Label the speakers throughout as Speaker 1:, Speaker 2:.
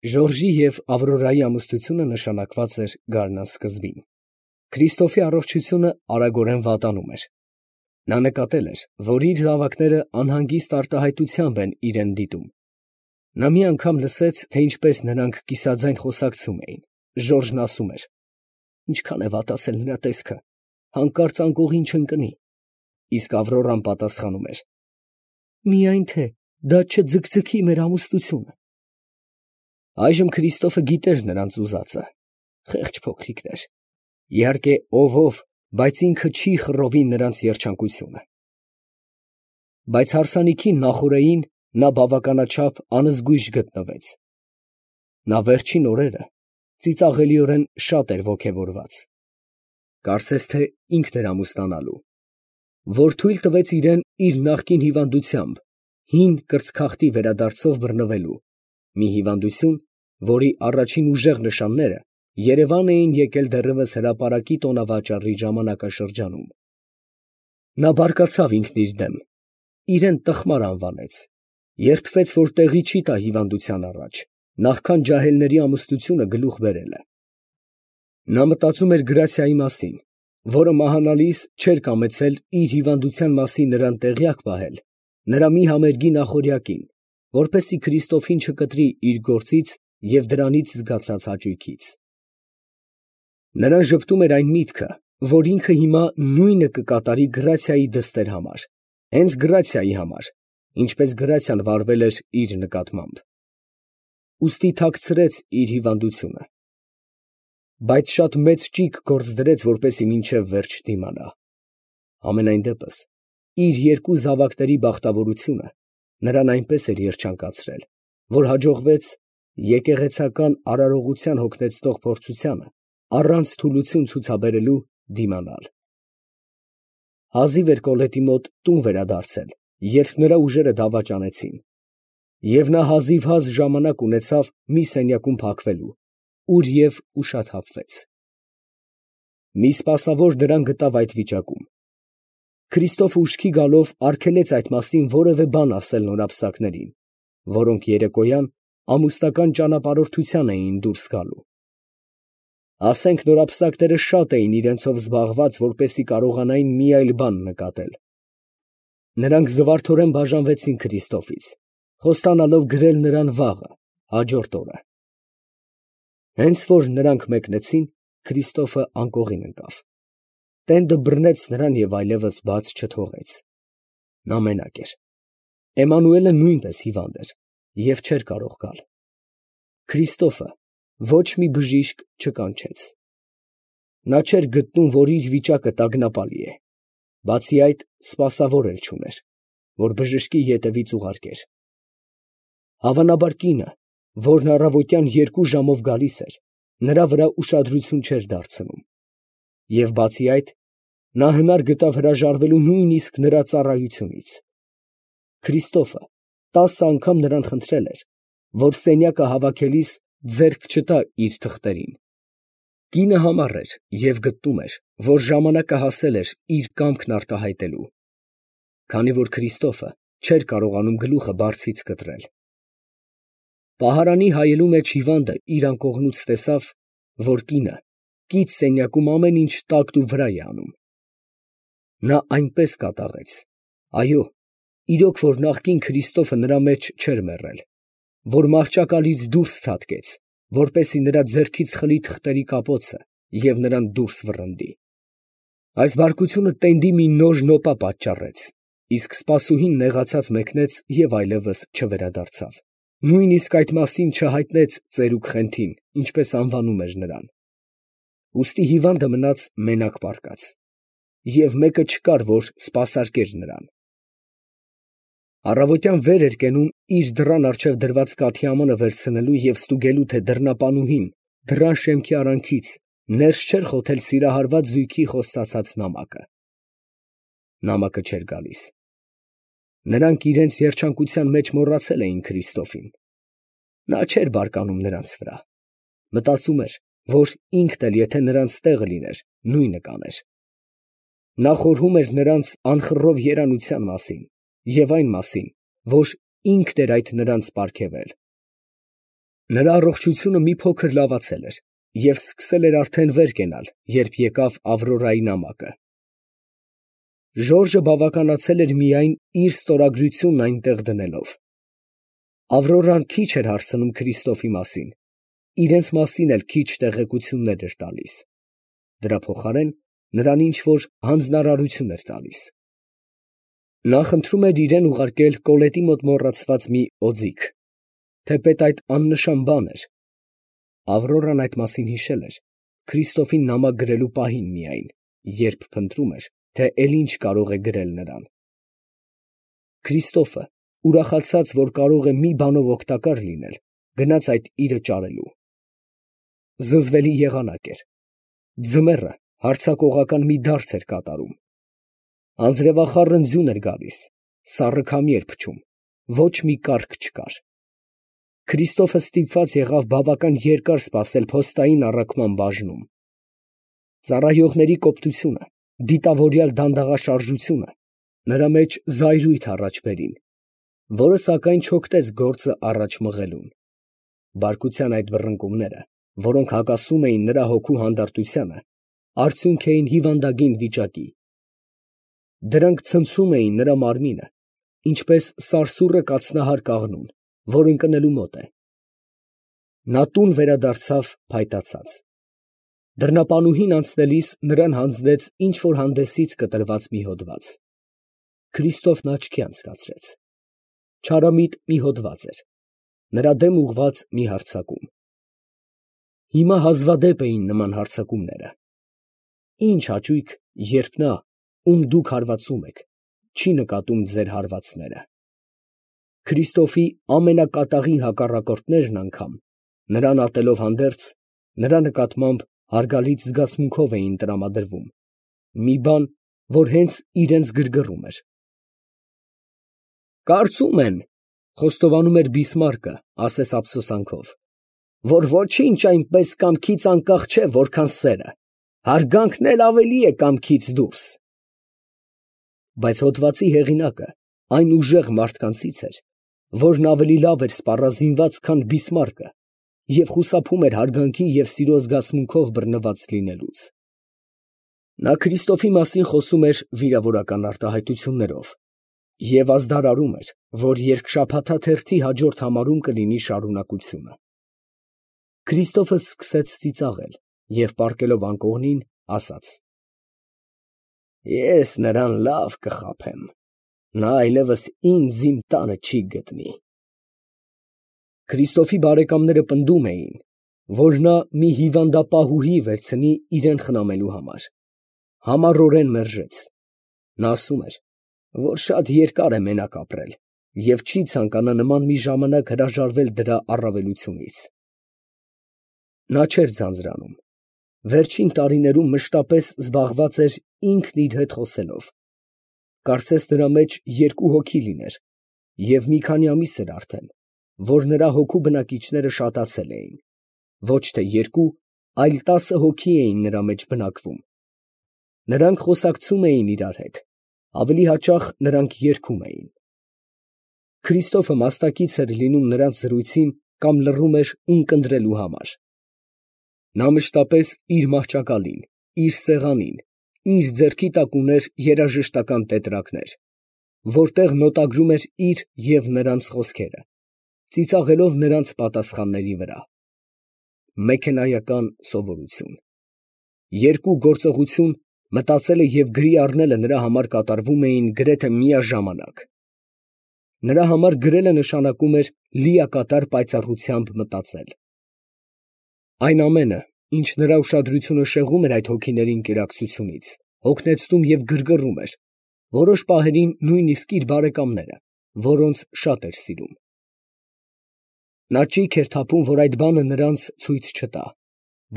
Speaker 1: Ժորժի և Ավրորայի ամուսնությունը նշանակված էր գարնան սկզբին։ Քրիստոֆի առողջությունը արագորեն վատանում էր։ Նա նկատել էր, որ իր զավակները անհանգիստ արտահայտությամբ են իրան դիտում։ Նա մի անգամ լսեց, թե ինչպես նրանք կիսաձայն խոսակցում էին։ Ժորժն ասում էր. «Ինչքան է վատացել նրա տեսքը, հանկարծ անկողին չընկնի»։ Իսկ Ավրորան պատասխանում էր. «Միայն թե դա չձգձգի մեր ամուսնությունը»։ Այժմ Քրիստոֆը գիտեր նրանց ուզածը. խեղճ փոքրիկներ, իհարկե ով, բայց ինքը չի խռովի նրանց երջանկությունը։ Բայց հարսանիքին նախօրեին նա բավականաչափ անզգույշ գտնվեց։ Նա վերջին օրերը ծիծաղելիորեն շատ էր ոգևորված։ Կարծես թե ինքն էր ամուսնանալու, որ թույլ տվեց իրան իր նախկին հիվանդությամբ, հին կրծքաղտի վերադարձով բռնվելու, մի հիվանդություն, որի առաջին ուժեղ նշանները երևան էին եկել դեռևս հրապարակի տոնավաճառի ժամանակաշրջանում։ Նա բարկացավ ինքն իր դեմ, իրան տխմար անվանեց, երդվեց, որ տեղի չի տա հիվանդության առաջ, նախքան ջահելների ամուսնությունը գլուխ բերելը։ Նա մտածում էր Գրացիայի մասին, որը մահանալիս չէր կամեցել իր հիվանդության մասին նրան տեղյակ պահել, նրա մի համերգի նախօրյակին, որպեսզի Քրիստոֆին չկտրի իր գործից և դրանից զգացած հաճույքից։ Նրան ժպտում էր այն միտքը, որ ինքը հիմա նույնը կկատարի Գրացիայի դստեր համար, հենց Գրացիայի համար, ինչպես Գրացիան վարվել էր իր նկատմամբ։ Ուստի թաքցրեց իր հիվանդությունը, բայց շատ մեծ ճիգ գործ դրեց, որպեսզի մինչև վերջ դիմանա։ Համենայն դեպս, իր երկու զավակների բախտավորությունը նրան այնպես էր երջանկացրել, որ հաջողվեց եկեղեցական արարողության հոգնեցնող փորձությանը առանց թուլություն ցուցաբերելու դիմանալ։ Հազիվ էր Կոլետի մոտ տուն վերադարձել, երբ նրա ուժերը դավաճանեցին, և նա հազիվհազ ժամանակ ունեցավ մի սենյակում փակվելու, ուր և ուշաթափվեց։ Մի սպասավոր նրան գտավ այդ վիճակում։ Քրիստոֆը ուշքի գալով արգելեց այդ մասին որևէ բան ասել նորապսակներին, որոնք երեկոյան ամուսնական ճանապարհորդության էին դուրս գալու։ Ասենք նորապսակները շատ էին իրենցով զբաղված, որպեսզի կարողանային մի այլ բան նկատել։ Նրանք զվարթորեն բաժանվեցին Քրիստոֆից, խոստանալով գրել նրան վաղը, հաջորդ օրը։ Հենց որ նրանք մեկնեցին, Քրիստոֆը անկողին ընկավ։ Տենդը բռնեց նրան և այլևս բաց չթողեց։ Նա մենակ էր։ Էմմանուելը նույնպես հիվանդ էր և չէր կարող գալ։ Քրիստոֆը ոչ մի բժիշկ չկանչեց։ Նա չէր գտնում, որ իր վիճակը տագնապալի է, բացի այդ սպասավոր էլ չուներ, որ բժշկի ետևից ուղարկեր։ Հավանաբար կինը, որն առավոտյան 2 ժամով գալիս էր, նրա վրա ուշադրություն չէր դարձնում, և բացի այդ, նա հնար գտավ հրաժարվելու նույնիսկ նրա ծառայությունից։ Քրիստոֆը 10 անգամ նրան խնդրել էր, որ սենյակը հավաքելիս ձեռք չտա իր թղթերին։ Կինը համառ էր և գտնում էր, որ ժամանակը հասել էր իր կամքն արտահայտելու, քանի որ Քրիստոֆը չէր կարողանում գլուխը բարձից կտրել։ Պահարանի հայելու մեջ հիվանդը իր անկողնուց տեսավ, որ կինը կից սենյակում ամեն ինչ տակն ու վրա է անում։ Նա այնպես կատաղեց, այո, իրոք որ նախկին Քրիստոֆը նրա մեջ չէր մեռել, որ մահճակալից դուրս ցատկեց, որպեսզի նրա ձեռքից խլի թղթերի կապոցը և նրան դուրս վռնդի։ Այս բարկությունը տենդի մի նոր նոպա պատճառեց, իսկ սպասուհին նեղացած մեկնեց և այլևս չվերադարձավ, նույնիսկ այդ մասին չհայտնեց ծերուկ Խենթին, ինչպես անվանում էր նրան։ Ուստի հիվանդը մնաց մենակ պառկած, և մեկը չկար, որ սպասարկեր նրան։ Առավոտյան վեր էր կենում իր դռան առջև դրված կաթիամանը վերցնելու և ստուգելու, թե դռնապանուհին դռան շեմքի արանքից ներս չէր խոթել սիրահարված զույգի խոստացած նամակը։ Նամակը չէր գալիս։ Նրանք իրենց երջանկության մեջ մոռացել էին Քրիստոֆին։ Նա չէր բարկանում նրանց վրա։ Մտածում էր, որ ինքն էլ եթե նրանց տեղը լիներ, նույնը կաներ։ Նա խորհում էր նրանց անխռով երանության մասին և այն մասին, որ ինքն էր այդ նրանց պարգևել։ Նրա առողջությունը մի փոքր լավացել էր և սկսել էր արդեն վեր կենալ, երբ եկավ Ավրորայի նամակը։ Ժորժը բավականացել էր միայն իր ստորագրությունն այնտեղ դնելով։ Ավրորան քիչ էր հարցնում Քրիստոֆի մասին, իրենց մասին էլ քիչ տեղեկություններ էր տալիս։ Դրա փոխարեն նրան ինչ-որ հանձնարարություն էր տալիս։ Նա խնդրում էր իրեն ուղարկել Կոլետի մոտ մոռացված մի օձիք, թեպետ այդ աննշան բան էր։ Ավրորան այդ մասին հիշել էր Քրիստոֆին նամակ գրելու պահին միայն, երբ փնտրում էր, թե էլ ինչ կարող է գրել նրան։ Քրիստոֆը, ուրախացած, որ կարող է մի բանով օգտակար լինել, գնաց այդ իրը ճարելու։ Զզվելի եղանակ էր։ Ձմեռը հարձակողական մի դարձ էր կատարում։ Անձրևախառն ձյուն էր գալիս, սառը քամի էր փչում, ոչ մի կառք չկար։ Քրիստոֆը ստիպված եղավ բավական երկար սպասել փոստային առաքման բաժնում։ Ծառայողների կոպտությունը, դիտավորյալ դանդաղաշարժությունը նրա մեջ զայրույթ առաջ բերին, որը սակայն չօգտեց գործը առաջ մղելուն։ Բարկության այդ բռնկումները, որոնք հակասում էին նրա հոգու հանդարտությանը, արդյունք էին հիվանդագին վիճակի։ Դրանք ցնցում էին նրա մարմինը, ինչպես սարսուռը կացնահար կաղնուն, որ ընկնելու մոտ է։ Նա տուն վերադարձավ փայտացած։ Դռնապանուհին անցնելիս նրան հանձնեց ինչ-որ հանդեսից կտրված մի հոդված։ Քրիստոֆն աչքի անցկացրեց։ Չարամիտ մի հոդված էր, նրա դեմ ուղղված մի հարձակում։ Հիմա հազվադեպ էին նման հարձակումները։ Ինչ հաճույք, երբ նա, ում դուք հարվածում եք, չի նկատում ձեր հարվածները։ Քրիստոֆի ամենակատաղի հակառակորդներն անգամ, նրան ատելով հանդերձ, նրա նկատմամբ հարգալից զգացմունքով էին տրամադրվում, մի բան, որ հենց իրենց գրգռում էր։ «Կարծում են, ֊ խոստովանում էր Բիսմարկը ասես ափսոսանքով, ֊ որ ոչինչ այնպես կամքից անկախ չէ, որքան սերը, հարգանքն էլ ավելի է կամքից դուրս»։ Բայց հոդվածի հեղինակը այն ուժեղ մարդկանցից էր, որն ավելի լավ էր սպառազինված, քան Բիսմարկը, և խուսափում էր հարգանքի և սիրո զգացմունքով բռնված լինելուց։ Նա Քրիստոֆի մասին խոսում էր վիրավորական արտահայտություններով և ազդարարում էր, որ երկշաբաթաթերթի հաջորդ համարում կլինի շարունակությունը։ Քրիստոֆը սկսեց ծիծաղել և պառկելով անկողնին, ասաց. «Ես նրան լավ կխաբեմ, նա այլևս ինձ իմ տանը չի գտնի»։ Քրիստոֆի բարեկամները պնդում էին, որ նա մի հիվանդապահուհի վերցնի իրան խնամելու համար։ Համառորեն մերժեց։ Նա ասում էր, որ շատ երկար է մենակ ապրել և չի ցանկանա նման մի ժամանակ հրաժարվել դրա առավելությունից։ Նա չէր ձանձրանում։ Վերջին տարիներում մշտապես զբաղված էր ինքն իր հետ խոսելով։ Կարծես նրա մեջ երկու հոգի լիներ, և մի քանի ամիս էր արդեն, որ նրա հոգու բնակիչները շատացել էին։ Ոչ թե երկու, այլ 10 հոգի էին նրա մեջ բնակվում։ Նրանք խոսակցում էին իրար հետ, ավելի հաճախ նրանք երգում էին։ Քրիստոֆը մասնակից էր լինում նրանց զրույցին կամ լռում էր ունկնդրելու համար։ Նա մշտապես իր մահճակալին, իր սեղանին, իր ձեռքի տակ ուներ երաժշտական տետրակներ, որտեղ նոտագրում էր իր և նրանց խոսքերը, ծիծաղելով նրանց պատասխանների վրա։ Մեքենայական սովորություն։ Երկու գործողություն, մտածելը և գրի առնելը նրա համար կատարվում էին գրեթե միաժամանակ։ Նրա համար գրելը նշանակում էր լիակատար պայծառությամբ մտածել։ Այն ամենը, ինչ նրա ուշադրությունը շեղում էր այդ հոգիների ընկերակցությունից, հոգնեցնում և գրգռում էր, որոշ պահերին նույնիսկ իր բարեկամները, որոնց շատ էր սիրում։ Նա ճիգ էր թափում, որ այդ բանը նրանց ցույց չտա,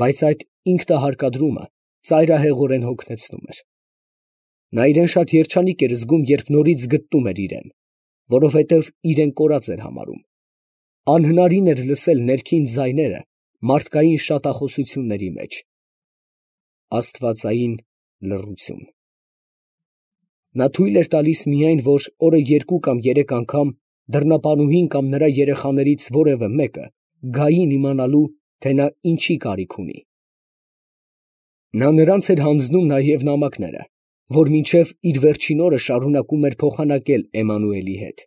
Speaker 1: բայց այդ ինքնահարկադրումը ծայրահեղորեն հոգնեցնում էր։ Նա իրեն շատ երջանիկ էր զգում, երբ նորից գտնում էր իրեն, որովհետև իրեն կորած էր համարում։ Անհնարին էր լսել ներքին ձայները մարդկային շատախոսությունների մեջ։ Աստվածային լռություն։ Նա թույլ էր տալիս միայն, որ օրը 2 կամ 3 անգամ դռնապանուհին կամ նրա երեխաներից որևէ մեկը գային իմանալու, թե նա ինչի կարիք ունի։ Նա նրանց էր հանձնում նաև նամակները, որ մինչև իր վերջին օրը շարունակում էր փոխանակել Էմմանուելի հետ։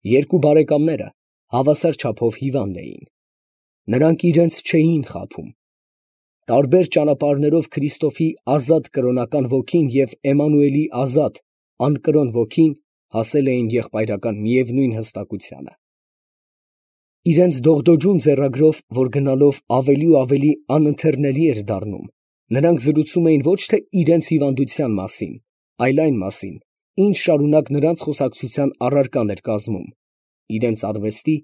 Speaker 1: Երկու բարեկամները հավասար չափով հիվանդ էին։ Նրանք իրենց չէին խաբում։ Տարբեր ճանապարհներով Քրիստոֆի ազատ կրոնական ոգին և Էմմանուելի ազատ անկրոն ոգին հասել էին եղբայրական միևնույն հստակությանը։ Իրենց դողդոջուն ձեռագրով, որ գնալով ավելի ու ավելի անընթեռնելի էր դառնում, նրանք զրուցում էին ոչ թե իրենց հիվանդության մասին, այլ այն մասին, ինչ շարունակ նրանց խոսակցության առարկան էր կազմում, իրենց արվեստի,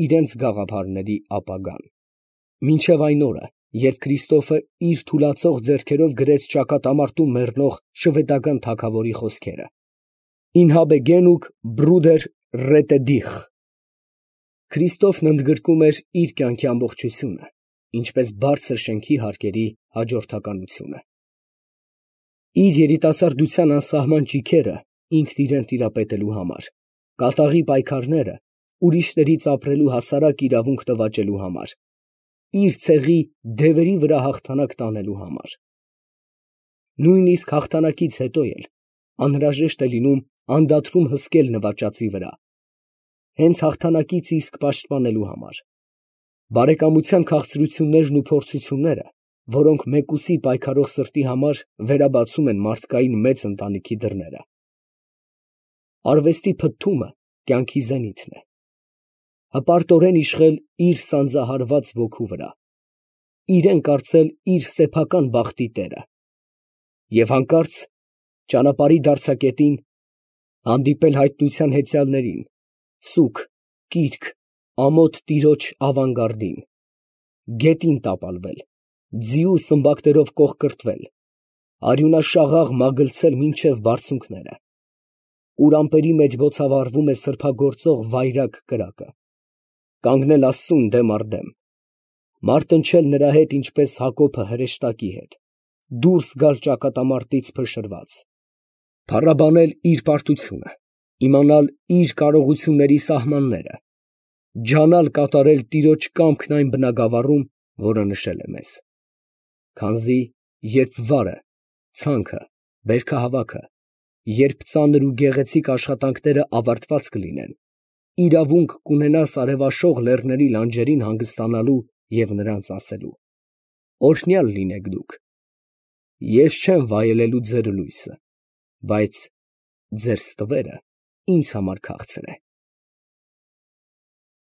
Speaker 1: իրենց գաղափարների ապագան։ Մինչև այն օրը, երբ Քրիստոֆը իր թուլացող ձեռքերով գրեց ճակատամարտում մեռնող շվեդական թագավորի խոսքերը. «Ին habe genug Bruder rette dich»։ Քրիստոֆն ընդգրկում էր իր կյանքի ամբողջությունը, ինչպես բարձր շենքի հարկերի հաջորդականությունը։ Իր երիտասարդության անսահման ճիգերը ինքն իրեն տիրապետելու համար, կատաղի պայքարները ուրիշներից ապրելու հասարակ իրավունք նվաճելու համար, իր ցեղի դևերի վրա հաղթանակ տանելու համար։ Նույնիսկ հաղթանակից հետո էլ անհրաժեշտ է լինում անդադրում հսկել նվաճածի վրա, հենց հաղթանակից իսկ պաշտպանելու համար։ Բարեկամության քաղցրություններն ու փորձությունները, որոնք մեկուսի պայքարող սրտի համար վերաբացում են մարդկային մեծ ընտանիքի դռները։ Արվեստի փթթումը կյանքի զենիթն է։ Հպարտորեն իշխել իր սանձահարված ոգու վրա, իրեն կարծել իր սեփական բախտի տերը և հանկարծ ճանապարհի դարձակետին հանդիպել հայտնության հեծյալներին, սուգ, կիրք, ամոթ տիրոջ ավանգարդին, գետին տապալվել, ձիու սմբակներով կողկրտվել, արյունաշաղախ մագլցել մինչև բարձունքները, ուր ամպերի մեջ բոցավառվում է սրբագործող վայրագ կրակը, կանգնել Աստծուն դեմ առ դեմ, մարտնչել նրա հետ ինչպես Հակոբը հրեշտակի հետ, դուրս գալ ճակատամարտից փշրված, փառաբանել իր պարտությունը, իմանալ իր կարողությունների սահմանները, ջանալ կատարել տիրոջ կամքն այն բնագավառում, որը նշել է մեզ։ Քանզի երբ վարը, ցանքը, բերքահավաքը, երբ ծանր ու գեղեցիկ աշխատանքները ավարտված կլինեն, իրավունք կունենաս արևաշող լեռների լանջերին հանգստանալու և նրանց ասելու. «Օրհնյալ լինեք դուք, ես չեմ վայելելու ձեր լույսը, բայց ձեր ստվերը ինձ համար քաղցր է»։